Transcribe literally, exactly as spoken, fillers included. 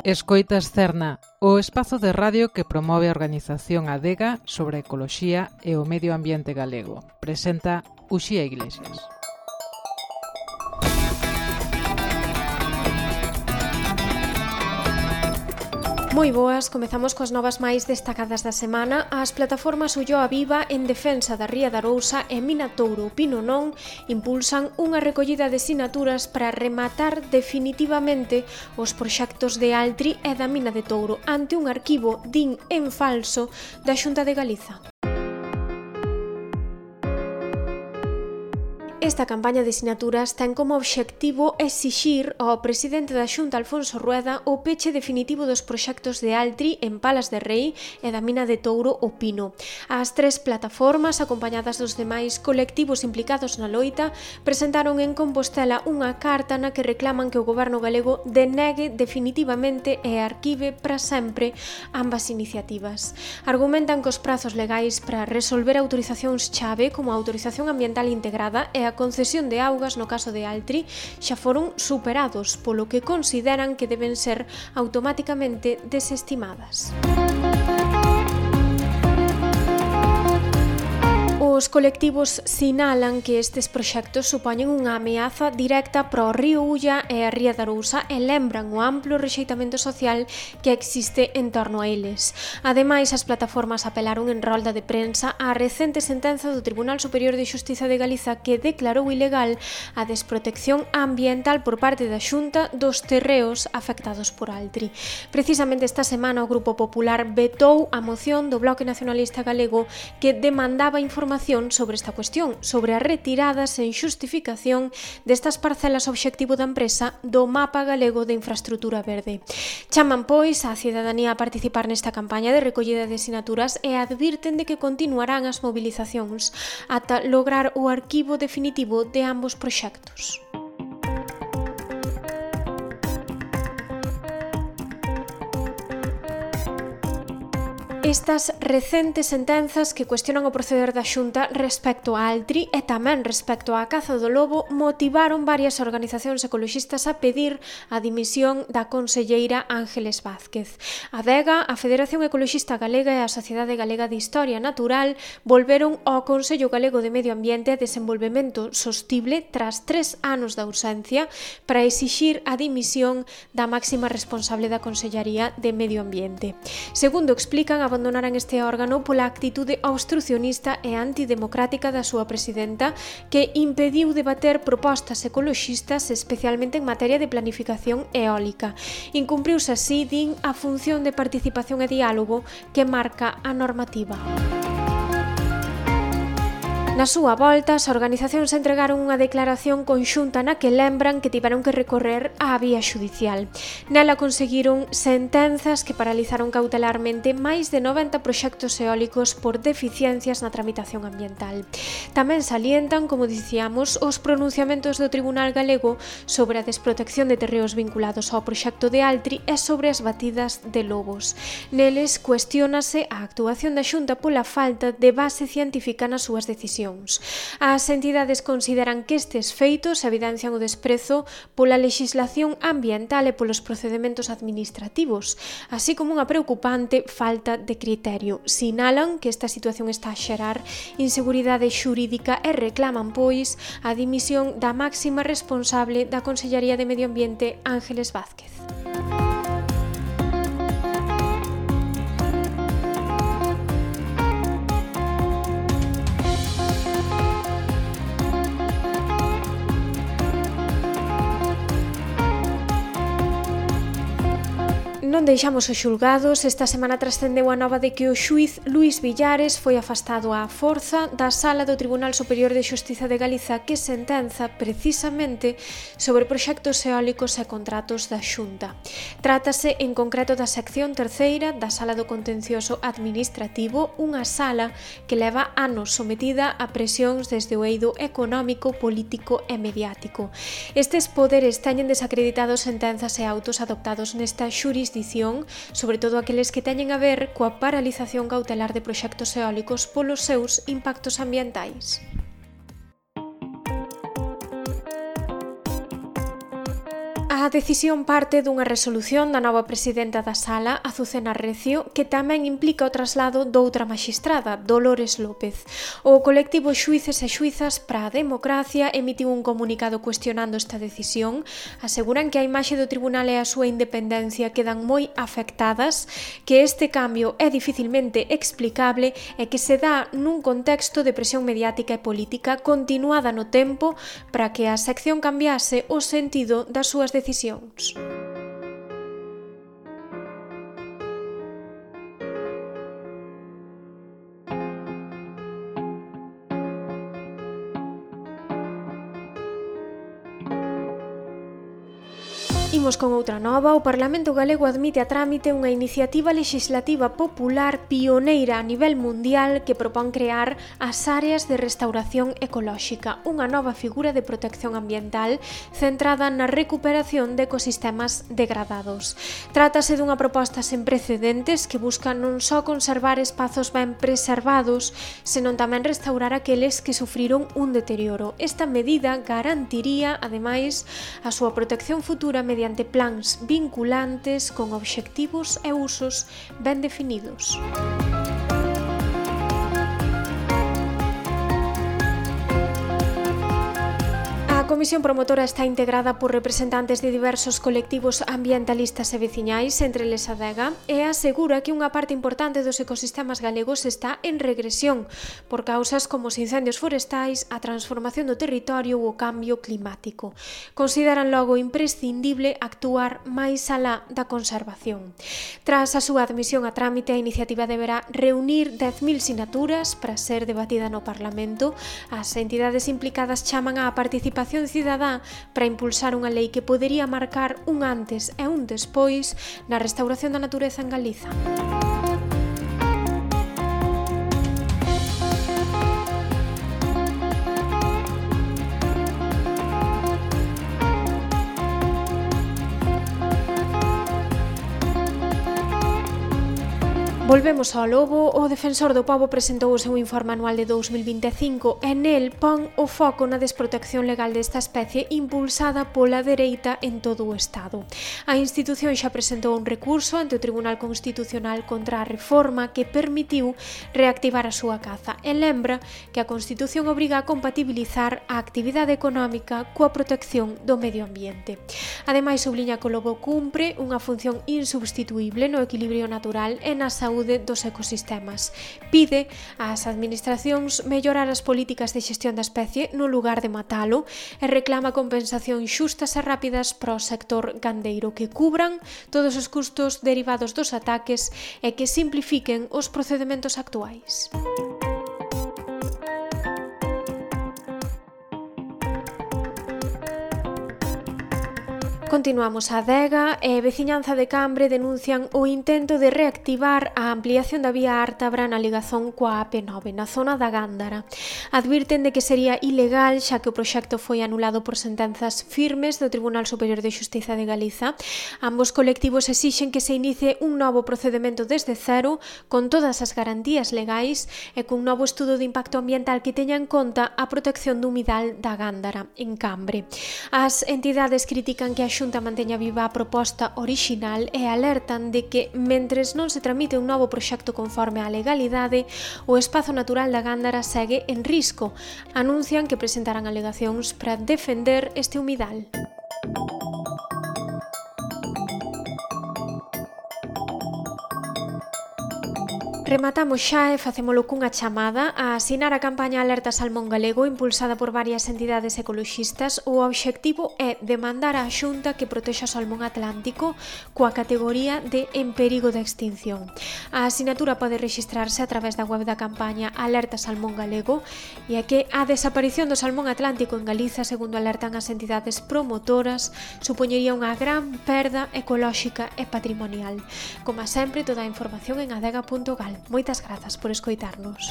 Escoitas Cerna, o espazo de radio que promove a organización Adega sobre a ecoloxía e o medio ambiente galego. Presenta Uxía Iglesias. Moi boas, comezamos coas novas máis destacadas da semana. As plataformas Ulloa Viva en defensa da Ría da Arousa e Mina Touro Pino Non impulsan unha recollida de sinaturas para rematar definitivamente os proxectos de Altri e da Mina de Touro ante un arquivo din en falso da Xunta de Galiza. Esta campaña de sinaturas ten como obxectivo exixir ao presidente da Xunta, Alfonso Rueda, o peche definitivo dos proxectos de Altri en Palas de Rei e da Mina de Touro o Pino. As tres plataformas, acompañadas dos demais colectivos implicados na loita, presentaron en Compostela unha carta na que reclaman que o goberno galego denegue definitivamente e arquive para sempre ambas iniciativas. Argumentan que os prazos legais para resolver autorizacións chave como a autorización ambiental integrada e a A concesión de augas no caso de Altri xa foron superados, polo que consideran que deben ser automáticamente desestimadas. Os colectivos sinalan que estes proxectos supoñen unha ameaza directa para o río Ulla e a Ría da Arousa e lembran o amplo rexeitamento social que existe en torno a eles. Ademais, as plataformas apelaron en rolda de prensa á recente sentenza do Tribunal Superior de Xustiza de Galiza que declarou ilegal a desprotección ambiental por parte da Xunta dos terreos afectados por Altri. Precisamente esta semana o Grupo Popular vetou a moción do Bloque Nacionalista Galego que demandaba información sobre esta cuestión, sobre a retirada sen xustificación destas parcelas obxectivo da empresa do Mapa Galego de Infraestrutura Verde. Chaman, pois, a cidadanía a participar nesta campaña de recollida de sinaturas e advirten de que continuarán as mobilizacións ata lograr o arquivo definitivo de ambos proxectos. Estas recentes sentenzas que cuestionan o proceder da Xunta respecto a Altri e tamén respecto á caza do lobo motivaron varias organizacións ecoloxistas a pedir a dimisión da conselleira Ángeles Vázquez. A Adega, a Federación Ecoloxista Galega e a Sociedade Galega de Historia Natural volveron ao Consello Galego de Medio Ambiente e Desenvolvemento Sostible tras tres anos de ausencia para exixir a dimisión da máxima responsable da Consellaría de Medio Ambiente. Segundo explican, abandonaran este órgano pola actitude obstrucionista e antidemocrática da súa presidenta que impediu debater propostas ecoloxistas especialmente en materia de planificación eólica. Incumpriuse así, din, a función de participación e diálogo que marca a normativa. Na súa volta, as organizacións entregaron unha declaración conxunta na que lembran que tiveron que recorrer á vía xudicial. Nela conseguiron sentenzas que paralizaron cautelarmente máis de noventa proxectos eólicos por deficiencias na tramitación ambiental. Tamén salientan, como dicíamos, os pronunciamentos do Tribunal Galego sobre a desprotección de terreos vinculados ao proxecto de Altri e sobre as batidas de lobos. Neles cuestiónase a actuación da Xunta pola falta de base científica nas súas decisións. As entidades consideran que estes feitos evidencian o desprezo pola lexislación ambiental e polos procedementos administrativos, así como unha preocupante falta de criterio. Sinalan que esta situación está a xerar inseguridade xurídica e reclaman, pois, a dimisión da máxima responsable da Consellaría de Medio Ambiente, Ángeles Vázquez. Non deixamos os xulgados. Esta semana trascendeu a nova de que o xuíz Luís Villares foi afastado á forza da Sala do Tribunal Superior de Xustiza de Galiza que sentenza precisamente sobre proxectos eólicos e contratos da Xunta. Trátase en concreto da sección terceira da Sala do Contencioso Administrativo, unha sala que leva anos sometida a presións desde o eido económico, político e mediático. Estes poderes teñen desacreditados sentenzas e autos adoptados nesta xurisdición, sobre todo aqueles que teñen a ver coa paralización cautelar de proxectos eólicos polos seus impactos ambientais. A decisión parte dunha resolución da nova presidenta da Sala, Azucena Recio, que tamén implica o traslado doutra maxistrada, Dolores López. O colectivo Xuíces e Xuizas para a Democracia emitiu un comunicado cuestionando esta decisión. Aseguran que a imaxe do tribunal e a súa independencia quedan moi afectadas, que este cambio é dificilmente explicable e que se dá nun contexto de presión mediática e política continuada no tempo para que a sección cambiase o sentido das súas decisións. Imos con outra nova. O Parlamento Galego admite a trámite unha iniciativa legislativa popular pioneira a nivel mundial que propón crear as áreas de restauración ecolóxica, unha nova figura de protección ambiental centrada na recuperación de ecosistemas degradados. Trátase dunha proposta sen precedentes que busca non só conservar espazos ben preservados, senón tamén restaurar aqueles que sufriron un deterioro. Esta medida garantiría, ademais, a súa protección futura mediante mediante plans vinculantes con obxectivos e usos ben definidos. A comisión promotora está integrada por representantes de diversos colectivos ambientalistas e veciñais, entre eles a Adega, e asegura que unha parte importante dos ecosistemas galegos está en regresión por causas como os incendios forestais, a transformación do territorio ou o cambio climático. Consideran logo imprescindible actuar máis alá da conservación. Tras a súa admisión a trámite, a iniciativa deberá reunir dez mil sinaturas para ser debatida no Parlamento. As entidades implicadas chaman á participación cidadá para impulsar unha lei que podería marcar un antes e un despois na restauración da natureza en Galiza. Volvemos ao Lobo. O Defensor do Pobo presentou o seu informe anual de dous mil vinte e cinco e nel pon o foco na desprotección legal desta especie impulsada pola dereita en todo o Estado. A institución xa presentou un recurso ante o Tribunal Constitucional contra a reforma que permitiu reactivar a súa caza e lembra que a Constitución obriga a compatibilizar a actividade económica coa protección do medio ambiente. Ademais, subliña que o lobo cumpre unha función insubstituíble no equilibrio natural e na saúde dos ecosistemas. Pide ás administracións mellorar as políticas de xestión da especie no lugar de matalo e reclama compensacións xustas e rápidas para o sector gandeiro que cubran todos os custos derivados dos ataques e que simplifiquen os procedementos actuais. Continuamos. A Adega e Veciñanza de Cambre denuncian o intento de reactivar a ampliación da vía Ártabra na ligazón coa A P nove na zona da Gándara. Advirten de que sería ilegal xa que o proxecto foi anulado por sentenzas firmes do Tribunal Superior de Xustiza de Galiza. Ambos colectivos exixen que se inicie un novo procedemento desde cero con todas as garantías legais e cun novo estudo de impacto ambiental que teña en conta a protección do humidal da Gándara en Cambre. As entidades critican que a Xunta manteña viva a proposta orixinal e alertan de que, mentres non se tramite un novo proxecto conforme á legalidade, o espazo natural da Gándara segue en risco. Anuncian que presentarán alegacións para defender este humidal. Rematamos xa e facémolo cunha chamada a asinar a campaña Alerta Salmón Galego impulsada por varias entidades ecoloxistas. O obxectivo é demandar á Xunta que protexa o salmón atlántico coa categoría de en perigo de extinción. A asinatura pode rexistrarse a través da web da campaña Alerta Salmón Galego e é que a desaparición do salmón atlántico en Galiza, segundo alertan as entidades promotoras, supoñería unha gran perda ecolóxica e patrimonial. Como sempre, toda a información en adega punto gal. Moitas grazas por escoitarnos.